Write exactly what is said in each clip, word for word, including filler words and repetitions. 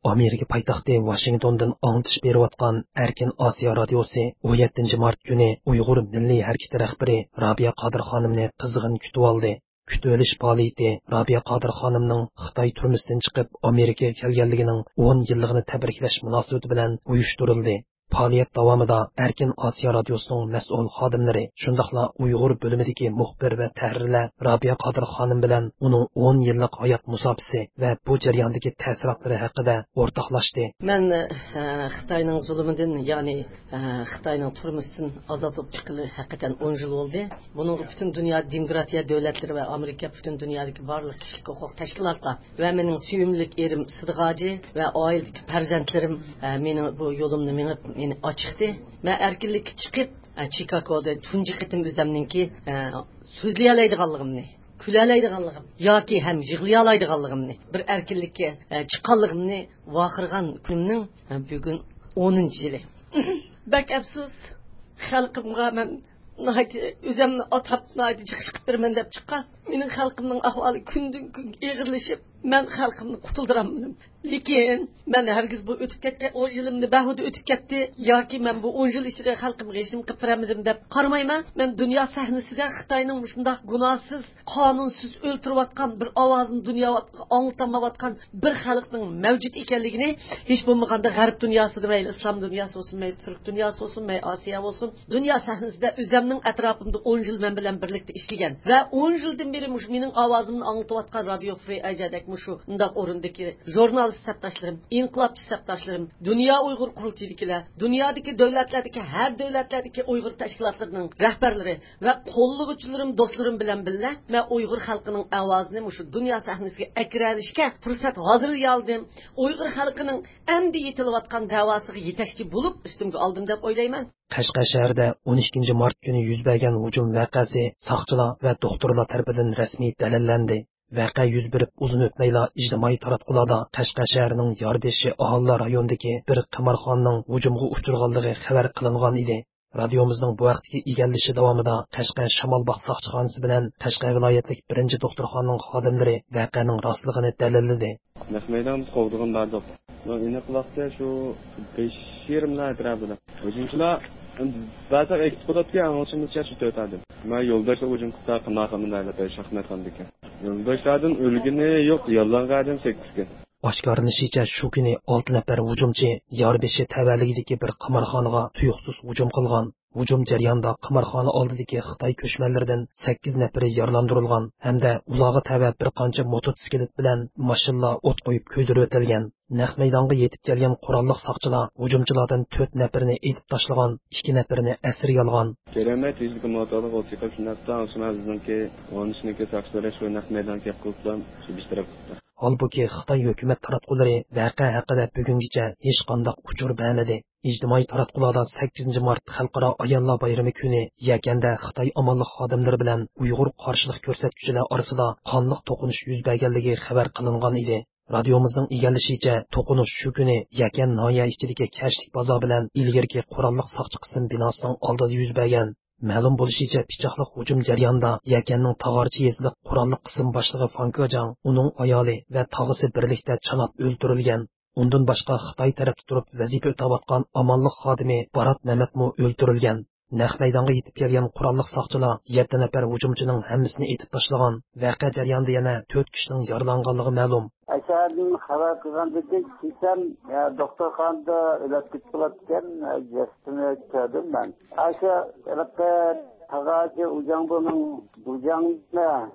ئامېرىكا پايتەختى ۋاشىنگتوندىن ئاڭلىتىش بېرىۋاتقان ئەركىن ئاسىيا رادىيوسى ئون يەتتىنچى مارت كۈنى ئۇيغۇر مىللىي ھەرىكىتى رەھبىرى رابىيە قادىر خانىمنى قىزغىن كۈتۈۋالدى. كۈتۈۋېلىش پائالىيىتى رابىيە قادىر خانىمنىڭ خىتاي تۈرمىسىدىن چىقىپ ئامېرىكىغا كەلگەنلىكىنىڭ ئون يىللىقىنى تەبرىكلەش مۇناسىۋىتى بىلەن ئۇيۇشتۇرۇلدى. پائالىيەت داۋامىدا ئەركىن ئاسىيا رادىيوسىنىڭ مەسئۇل خادىملىرى، شۇنداقلا ئۇيغۇر بۆلۈمىدىكى مۇخبىر ۋە تەھرىرلەر رابىيە قادىر خانىم بىلەن ئۇنىڭ ئون يىللىق ھايات مۇساپىسى ۋە بۇ جەرياندىكى تەسىراتلىرى ھەققىدە ئورتاقلاشتى. مەن، ئە، خىتاينىڭ زۇلۇمىدىن، يەنى، ئە، خىتاينىڭ تۈرمىسىدىن ئازاد بولۇپ چىققىلى ھەقىقەتەن ئون يىل بولدى. بۇنىڭغا پۈتۈن دۇنيا دېموكراتىيە دۆلەتلىرى ۋە ئامېرىكا، پۈتۈن دۇنيادىكى بارلىق كىشىلىك ھوقۇق تەشكىلاتلار ۋە مېنىڭ سۆيۈملۈك ئېرىم سىدىق ھاجى ۋە ئائىلىدىكى پەرزەنتلىرىم، ئە، مېنىڭ بۇ يولۇمنى مېڭىپ، مېنى ئاچىقتى. مەن ئەركىنلىككە چىقىپ، ئە، چىكاگودا تۇنجى قېتىم ئۆزۈمنىڭكى، ئە، سۆزلىيەلەيدىغانلىقىمنى، كۈلەلەيدىغانلىقىم ياكى ھەم يىغلىيالايدىغانلىقىمنى، بىر ئەركىنلىككە، ئە، چىققانلىقىمنى ۋارقىرىغان كۈنۈمنىڭ، ئە، بۈگۈن ئونىنچى يىلى. بەك ئەپسۇس، خەلقىمغا مەن ناھايىتى ئۆزۈمنى ئاتاپ، ناھايىتى جىق چىقىپ بېرىمەن دەپ چىققان. مېنىڭ خەلقىمنىڭ ئەھۋالى كۈندىن كۈنگە ئېغىرلىشىپ، مەن خەلقىمنى قۇتۇلدۇرالمىدىم. لېكىن مەن ھەرگىز بۇ ئۆتۈپ كەتكەن ئون يىلىمنى بەھۇدە ئۆتۈپ كەتتى ياكى مەن بۇ ئون يىل ئىچىدە خەلقىمغا ھېچنېمە قىلىپ بېرەلمىدىم دەپ قارىمايمەن. مەن دۇنيا سەھنىسىدە خىتاينىڭ مۇشۇنداق گۇناھسىز، قانۇنسىز ئۆلتۈرۈۋاتقان، بىر ئاۋازىنى دۇنياغا ئاڭلىتالمايۋاتقان بىر خەلقنىڭ مەۋجۇت ئىكەنلىكىنى، ھېچ بولمىغاندا غەرب دۇنياسىدا، مەيلى ئىسلام دۇنياسى بولسۇن، مەيلى تۈرك دۇنياسى بولسۇن، مەيلى ئاسىيا بولسۇن، دۇنيا سەھنىسىدە ئۆزەمنىڭ ئەتراپىمدا ئون يىل مەن بىلەن بىرلىكتە ئىشلىگەن ۋە ئون يىلدىن بېرى مۇشۇ مېنىڭ ئاۋازىمنى ئاڭلىتىۋاتقان رادىيو فرى ئەيجادەك مۇشۇ مۇنداق ئورۇندىكى ژۇرنالىست سەپداشلىرىم، ئىنقىلابچى سەپداشلىرىم، دۇنيا ئۇيغۇر قۇرۇلتىيىدىكىلەر، دۇنيادىكى دۆلەتلەردىكى، ھەر دۆلەتلەردىكى ئۇيغۇر تەشكىلاتلىرىنىڭ رەھبەرلىرى ۋە قوللىغۇچىلىرىم، دوستلىرىم بىلەن بىللە، مەن ئۇيغۇر خەلقىنىڭ ئاۋازىنى مۇشۇ دۇنيا سەھنىسىگە ئەكىرەلىشكە پۇرسەت ھازىرلىيالىدىم. ئۇيغۇر خەلقىنىڭ ئەمدى يېتىلىۋاتقان دەۋاسىغا يېتەكچى بولۇپ، ئۈستۈمگە ئالدىم دەپ ئويلايمەن. قەشقەر شەھىرىدە ئون ئىككىنچى مارت كۈنى يۈز بەرگەن ھۇجۇم ۋەقەسى ساقچىلار ۋە دوختۇرلار تەرىپىدىن رەسمىي دەلىللەندى. ۋەقە يۈز بېرىپ ئۇزۇن ئۆتمەيلا ئىجتىمائىي تاراتقۇلاردا قەشقەر شەھىرىنىڭ ياربېشى ئاھالىلەر رايونىدىكى بىر قىمارخانىنىڭ ھۇجۇمغا ئۇچرىغانلىقى خەۋەر قىلىنغان ئىدى. رادىيومىزنىڭ بۇ ھەقتىكى ئىگىلىشى داۋامىدا قەشقەر شامالباغ ساقچىخانىسى بىلەن قەشقەر ۋىلايەتلىك بىرىنچى دوختۇرخانىنىڭ خادىملىرى ۋەقەنىڭ راستلىقىنى دەلىللىدى. نەق مەيدانغا بىز قوغدىغىن باردۇق. ئېنىق ۋاقتى شۇ بەش يېرىملار ئەتراپىدا. ھۇجۇمچىلار بەزى ئېيتىپ قويۇپتۇ، ئاڭلىشىمىزچە شۇ تۆت ئادەم. مەن يولداشلار ھۇجۇم قىلسا قىمارخانا دەيلى، شاھمەتخانىدىكى. يولداشلاردىن ئۆلگىنى يوق، يارىلانغان ئادەم سەككىز. ئاشكارىلىنىشىچە، شۇ كۈنى ئالتە نەپەر ھۇجۇمچى ياربېشى تەۋەلىكىدىكى بىر قىمارخانىغا تۇيۇقسىز ھۇجۇم قىلغان. ھۇجۇم جەريانىدا قىمارخانا ئالدىدىكى خىتاي كۆچمەنلىرىدىن سەككىز نەپىرى يارىلاندۇرۇلغان ھەمدە ئۇلارغا تەۋە بىر قانچە موتوتسىكلىت بىلەن ماشىنىلار ئوت قويۇپ كۆيدۈرۈۋېتىلگەن. نەق مەيدانغا يېتىپ كەلگەن قوراللىق ساقچىلار ھۇجۇمچىلاردىن تۆت نەپىرىنى ئېتىپ تاشلىغان، ئىككى نەپىرىنى ئەسىرگە ئالغان. كۆرەلمەي تېزلىكتە موتورلۇق ئوت چېقىپ شۇنداقتا، شۇڭا بىزنىڭكى ئون ئۈچنىڭكى ساقچىلىرى شۇ نەق مەيدانغا كەپ قىلىپلا شۇ بىر تەرەپ قىلىپتۇ. ھالبۇكى، خىتاي ھۆكۈمەت تاراتقۇلىرى ۋەقە ھەققىدە بۈگۈنگىچە ھېچقانداق ئۇچۇر بەرمىدى. ئىجتىمائىي تاراتقۇلاردا سەككىزىنچى مارت خەلقئارا ئاياللار بايرىمى كۈنى يەكەندە خىتاي ئامانلىق خادىملىرى بىلەن ئۇيغۇر قارشىلىق كۆرسەتكۈچىلەر ئارىسىدا قانلىق توقۇنۇش يۈز بەرگەنلىكى خەۋەر قىلىنغان ئىدى. رادىيومىزنىڭ ئىگىلىشىچە، توقۇنۇش شۇ كۈنى يەكەن ناھىيە ئىچىدىكى كەچلىك بازار بىلەن ئىلگىرىكى قوراللىق ساقچى قىسىم بىناسىنىڭ ئالدىدا يۈز بەرگەن. مەلۇم بولۇشىچە، پىچاقلىق ھۇجۇم جەريانىدا يەكەننىڭ تاغارچى يېزىلىق قوراللىق قىسىم باشلىقى فاڭ كېجاڭ، ئۇنىڭ ئايالى ۋە تاغىسى بىرلىكتە چاناپ ئۆلتۈرۈلگەن. ئۇندىن باشقا، خىتاي تەرەپتە تۇرۇپ ۋەزىپە ئۆتەۋاتقان ئامانلىق خادىمى بارات مەمەتمۇ ئۆلتۈرۈلگەن. نەق مەيدانغا يېتىپ كەلگەن قوراللىق ساقچىلار يەتتە نەپەر ھۇجۇمچىنىڭ ھەممىسىنى ئېتىپ تاشلىغان. ۋەقە جەريانىدا يەنە تۆت كىشىنىڭ يارىلانغانلىقى مەلۇم. ئاشۇ يەردىن خەۋەر قىلغاندىن كېيىن كېچەم، يا، دوختۇرخانىدا ئۆلۈپ كېتىپ قالىدىكەن، يا، جەسىتىنى كۆردۈم مەن. ئاشۇ ھېلىقى تاغاچى ئۇجاڭبۇنىڭ بۇجاڭنى،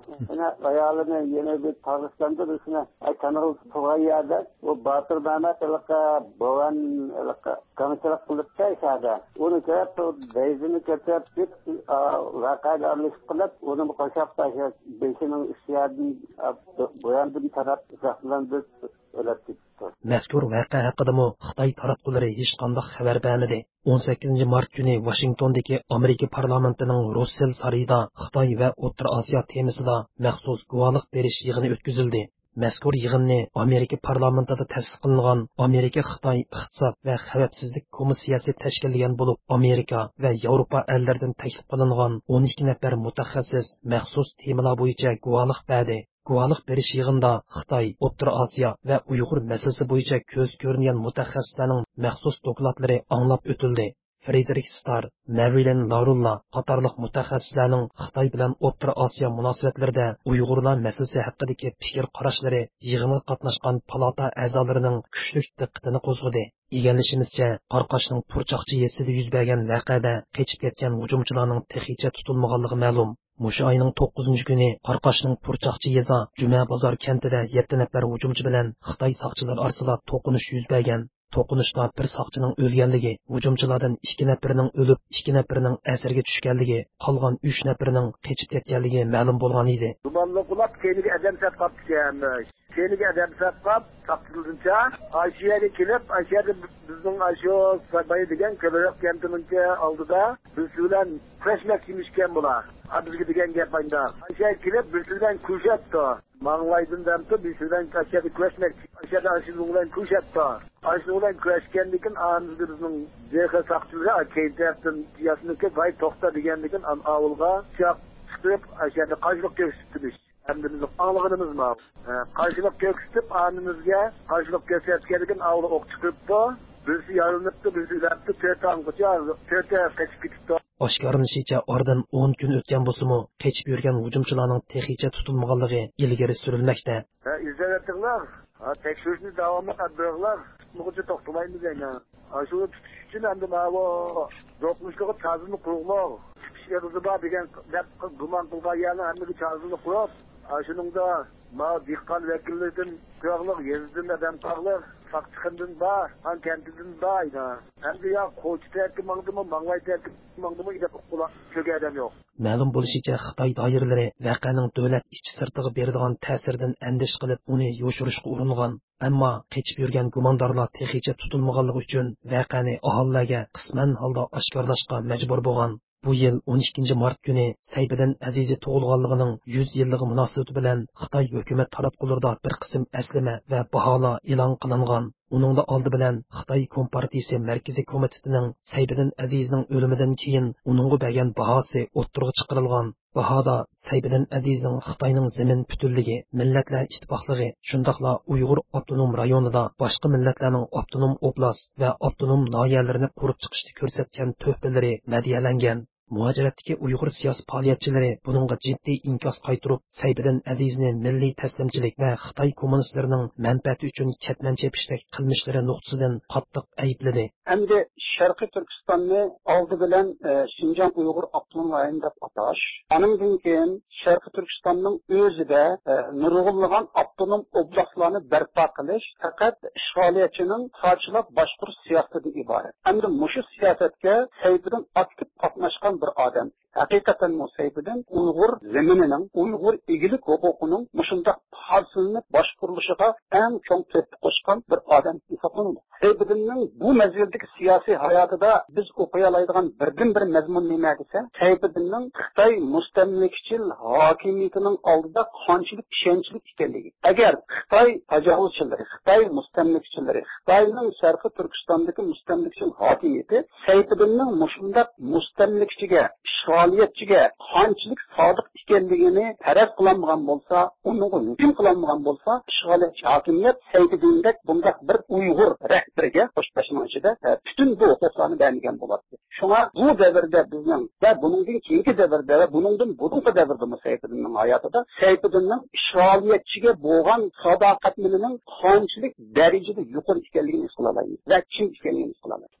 يەنە ئايالىنى يەنە بىر تاغىستاندا بىرسىنى، ئاي، تانىغىلى تۇرغان يەردە، ئۇ باتۇر مەمەت ھېلىقى بوۋان ھېلىقى گاڭچىلىق قىلىپتۇ ئىشەدە. ئۇنى كۆرۈپ، بۇ دەيزىنى كۆتۈرۈپ، ئا، ۋەقەگە ئارىلىشىپ قېلىپ، ئۇنىمۇ قوشاپ تاشلاپ، بېشىنىڭ ئۈستى يەردىن، ئا، بۇ ياندىن تاراپ، زەخىملەندۈرۈپ ئۆلۈپ كېتىپتۇ. مەزكۇر ۋەقە ھەققىدىمۇ خىتاي تاراتقۇلىرى ھېچقانداق خەۋەر بەرمىدى. ئون سەككىزىنچى مارت كۈنى ۋاشىنگتوندىكى ئامېرىكا پارلامېنتىنىڭ روسسېل سارىيىدا خىتاي ۋە ئوتتۇرا ئاسىيا تېمىسىدا مەخسۇس گۇۋاھلىق بېرىش يىغىنى ئۆتكۈزۈلدى. مەزكۇر يىغىننى ئامېرىكا پارلامېنتىدا تەسىس قىلىنغان ئامېرىكا خىتاي ئىقتىساد ۋە خەۋپسىزلىك كومىسسىيەسى تەشكىللىگەن بولۇپ، ئامېرىكا ۋە ياۋروپا ئەللىرىدىن تەكلىپ قىلىنغان ئون ئىككى نەپەر مۇتەخەسسىس مەخسۇس تېمىلار بويىچە گۇۋاھلىق بەردى. گۇۋاھلىق بېرىش يىغىنىدا خىتاي، ئوتتۇرا ئاسىيا ۋە ئۇيغۇر مەسىلىسى بويىچە كۆزى كۆرۈنگەن مۇتەخەسسىسلەرنىڭ مەخسۇس دوكلاتلىرى ئاڭلاپ ئۆتۈلدى. فرېدېرىك ستار، مەرۋىلېن لارۇللا قاتارلىق مۇتەخەسسىسلەرنىڭ خىتاي بىلەن ئوتتۇرا ئاسىيا مۇناسىۋەتلىرىدە ئۇيغۇرلار مەسىلىسى ھەققىدىكى پىكىر قاراشلىرى يىغىنغا قاتناشقان پالاتا ئەزالىرىنىڭ كۈچلۈك دىققىتىنى قوزغىدى. ئىگىلىشىمىزچە، قاراقاشنىڭ پۇرچاقچى يېزىسىدا يۈز بەرگەن ۋەقەدە قېچىپ كەتكەن ھۇجۇمچىلارنىڭ تېخىچە تۇتۇلمىغانلىقى مەلۇم. مۇشۇ ئاينىڭ توققۇزىنچى كۈنى قاراقاشنىڭ پۇرچاقچى يېزا جۈمە بازار كەنتىدە يەتتە نەپەر ھۇجۇمچى بىلەن خىتاي ساقچىلىرى ئارىسىدا توقۇنۇش يۈز بەرگەن. توقۇنۇشتا بىر ساقچىنىڭ ئۆلگەنلىكى، ھۇجۇمچىلاردىن ئىككى نەپىرىنىڭ ئۆلۈپ، ئىككى نەپىرىنىڭ ئەسىرگە چۈشكەنلىكى، قالغان ئۈچ نەپىرىنىڭ قېچىپ كەتكەنلىكى مەلۇم بولغان ئىدى. گۇمانلىق بولۇپ، كەينىگە ئادەم سەپ قاپتىكەن. كەينىگە ئادەم سەپ قاپ، ساقچىلىرىمچە، ئاشۇ يەرگە كېلىپ، ئاشۇ يەردە بىزنىڭ ئاشۇ ساباي دېگەن كۆلرەك كەنتىنىڭكى ئالدىدا بىرسى بىلەن كۈرەشمەكچىمىشكەن بۇلار. ھە، بىزگە دېگەن گەپ ئايندا. ئاشۇ يەرگە كېلىپ، بىرسى بىلەن كۈرىشەپتۇ. ماڭلايدىن دەمتۇ، بىرسى بىلەن ئاشۇ يەردە كۈرەشمەكچى. ئاشۇ يەردە ئاشۇنىڭ بىلەن كۈرىشەپتۇ. ئاشۇنىڭ بىلەن كۈرەشكەندىن كېيىن، ئانىمىزدا بىزنىڭ جېخې ساقچىلىرى كەينى تەرەپتىن ياسىنىپ كېلىپ، ۋاي، توختا دېگەندىن كېيىن، ئان-، ئاۋۇلغا پىچاق چىقىرىپ، ئاشۇ يەردە قارشىلىق كۆرسىتىپتىمىش. ئەمدى بىز ئاڭلىغىنىمىز ماۋۇ. ھە، قارشىلىق كۆرسىتىپ، ئانىمىزگە قارشىلىق كۆرسەتكەندىن كېيىن، ئاۋۇلغا ئوق چىقىرىپتۇ. بىرسى يارىلىنىپتۇ، بىرسى ئۆلۈپتۇ، تۆتى ئاڭغىچە، تۆتى قېچىپ كېتىپتۇ. ئاشكارىلىنىشىچە، ئارىدىن ئون كۈن ئۆتكەن بولسىمۇ، قېچىپ يۈرگەن ھۇجۇمچىلارنىڭ تېخىچە تۇتۇلمىغانلىقى ئىلگىرى سۈرۈلمەكتە. ھە، ئىزدەۋېتىڭلار. ھە، تەكشۈرۈشنى داۋاملىق ئېلىپ بېرىڭلار. تۇتمىغۇچە توختىمايمىز يەنە. ئاشۇنى تۇتۇش ئۈچۈن ئەمدى ماۋۇ دوقمۇشلۇقى تازىلىنىپ قۇرۇقلۇق، چىقىش ئېغىزى بار دېگەن دەپ گۇمان قىلغان يەرنىڭ ھەممىگە تازىلىنىپ قۇرۇپ، ئاشۇنىڭدا ماۋۇ دېھقان ۋەكىللىرىدىن قۇرۇقلۇق، يېزىدىن ئادەم قاغلىق، ساقچىخانىدىن بار، خان كەنتىدىن بار ئىدى. ئەمدى يا قوچى تەرەپكە ماڭدىمۇ، ماڭلاي تەرەپكە ماڭدىمۇ، ئىدى قۇلاق چۆگە ئادەم يوق. مەلۇم بولۇشىچە، خىتاي دائىرىلىرى ۋەقەنىڭ دۆلەت ئىچى سىرتىغا بېرىدىغان تەسىرىدىن ئەندىشە قىلىپ، ئۇنى يوشۇرۇشقا ئۇرۇنغان. ئەمما قېچىپ يۈرگەن گۇماندارلار تېخىچە تۇتۇلمىغانلىقى ئۈچۈن، ۋەقەنى ئاھالىلەرگە قىسمەن ھالدا ئاشكارىلاشقا مەجبۇر بولغان. بۇ يىل ئون ئىككىنچى مارت كۈنى سەيپىدىن ئەزىزى تۇغۇلغانلىقىنىڭ يۈز يىللىقى مۇناسىۋىتى بىلەن خىتاي ھۆكۈمەت تاراتقۇلىرىدا بىر قىسىم ئەسلىمە ۋە باھالار ئېلان قىلىنغان. ئۇنىڭدا ئالدى بىلەن خىتاي كومپارتىيىسى مەركىزىي كومىتېتىنىڭ سەيپىدىن ئەزىزنىڭ ئۆلۈمىدىن كېيىن ئۇنىڭغا بەرگەن باھاسى ئوتتۇرىغا چىقىرىلغان. باھادا سەيپىدىن ئەزىزنىڭ خىتاينىڭ زېمىن پۈتۈنلۈكى، مىللەتلەر ئىتتىپاقلىقى، شۇنداقلا ئۇيغۇر ئاپتونوم رايونىدا باشقا مىللەتلەرنىڭ ئاپتونوم ئوبلاست ۋە ئاپتونوم ناھىيەلىرىنى قۇرۇپ چىقىشتا كۆرسەتكەن تۆھپىلىرى مەدھىيەلەنگەن. مۇھاجىرەتتىكى ئۇيغۇر سىياسىي پائالىيەتچىلىرى بۇنىڭغا جىددىي ئىنكاس قايتۇرۇپ، سەيپىدىن ئەزىزنى مىللىي تەسلىمچىلىك ۋە خىتاي كوممۇنىستلىرىنىڭ مەنپەئەتى ئۈچۈن كەتمەن چېپىشتەك قىلمىشلىرى نۇقتىسىدىن قاتتىق ئەيىبلىدى. ئەمدى شەرقىي تۈركىستاننى ئالدى بىلەن، ئە، شىنجاڭ ئۇيغۇر ئاپتونوم رايونى دەپ ئاتاش، ئانىڭدىن كېيىن شەرقىي تۈركىستاننىڭ ئۆزىدە، ئە، نۇرغۇنلىغان ئاپتونوم ئوبلاستلارنى بەرپا قىلىش پەقەت ئىشغالىيەتچىنىڭ پارچىلاپ باشقۇرۇش سىياسىتىدىن ئىبارەت. ئەمدى مۇشۇ سىياسەتكە سەيپىدىن ئاكتىپ قاتناشقان بىر ئادەم. ھەقىقەتەنمۇ سەيپىدىن ئۇيغۇر زېمىنىنىڭ، ئۇيغۇر ئىگىلىك ھوقۇقىنىڭ مۇشۇنداق پارچىلىنىپ باشقۇرۇلۇشىغا ئەڭ چوڭ تۆھپە قوشقان بىر ئادەم ھېسابلىنىدۇ. سەيپىدىننىڭ بۇ مەزگىلدىكى سىياسىي ھاياتىدا بىز ئوقۇيالايدىغان بىردىنبىر مەزمۇن نېمە دېسە، سەيپىدىننىڭ خىتاي مۇستەملىكىچىل ھاكىمىيىتىنىڭ ئالدىدا قانچىلىك ئىشەنچلىك ئىكەنلىكى. ئەگەر خىتاي تاجاۋۇزچىلىرى، خىتاي مۇستەملىكىچىلىرى، خىتاينىڭ شەرقىي تۈركىستاندىكى مۇستەملىكىچىل ھاكىمىيىتى سەيپىدىننىڭ مۇشۇنداق مۇستەملىكىچىگە، ئىشغالىيەتچىگە قانچىلىك سادىق ئىكەنلىكىنى پەرەز قىلالمىغان بولسا، ئۇنىڭغا ھۆكۈم قىلالمىغان بولسا، ئىشغالىيەتچى ھاكىمىيەت سەيپىدىندەك بۇنداق بىر ئۇيغۇر رەھبىرىگە، قوش بەشنىڭ ئىچىدە، ئە، پۈتۈن بۇ ھوقۇقلارنى بەرمىگەن بولاتتى. شۇڭا بۇ دەۋردە بىزنىڭ ۋە بۇنىڭدىن كېيىنكى دەۋردە ۋە بۇنىڭدىن بۇرۇنقى دەۋردىمۇ سەيپىدىننىڭ ھاياتىدا سەيپىدىننىڭ ئىشغالىيەتچىگە بولغان ساداقەتمىنىنىڭ قانچىلىك دەرىجىدە يۇقىرى ئىكەنلىكىنى ھېس قىلالايمىز ۋە چىن ئىكەنلىكىنى ھېس قىلالايمىز.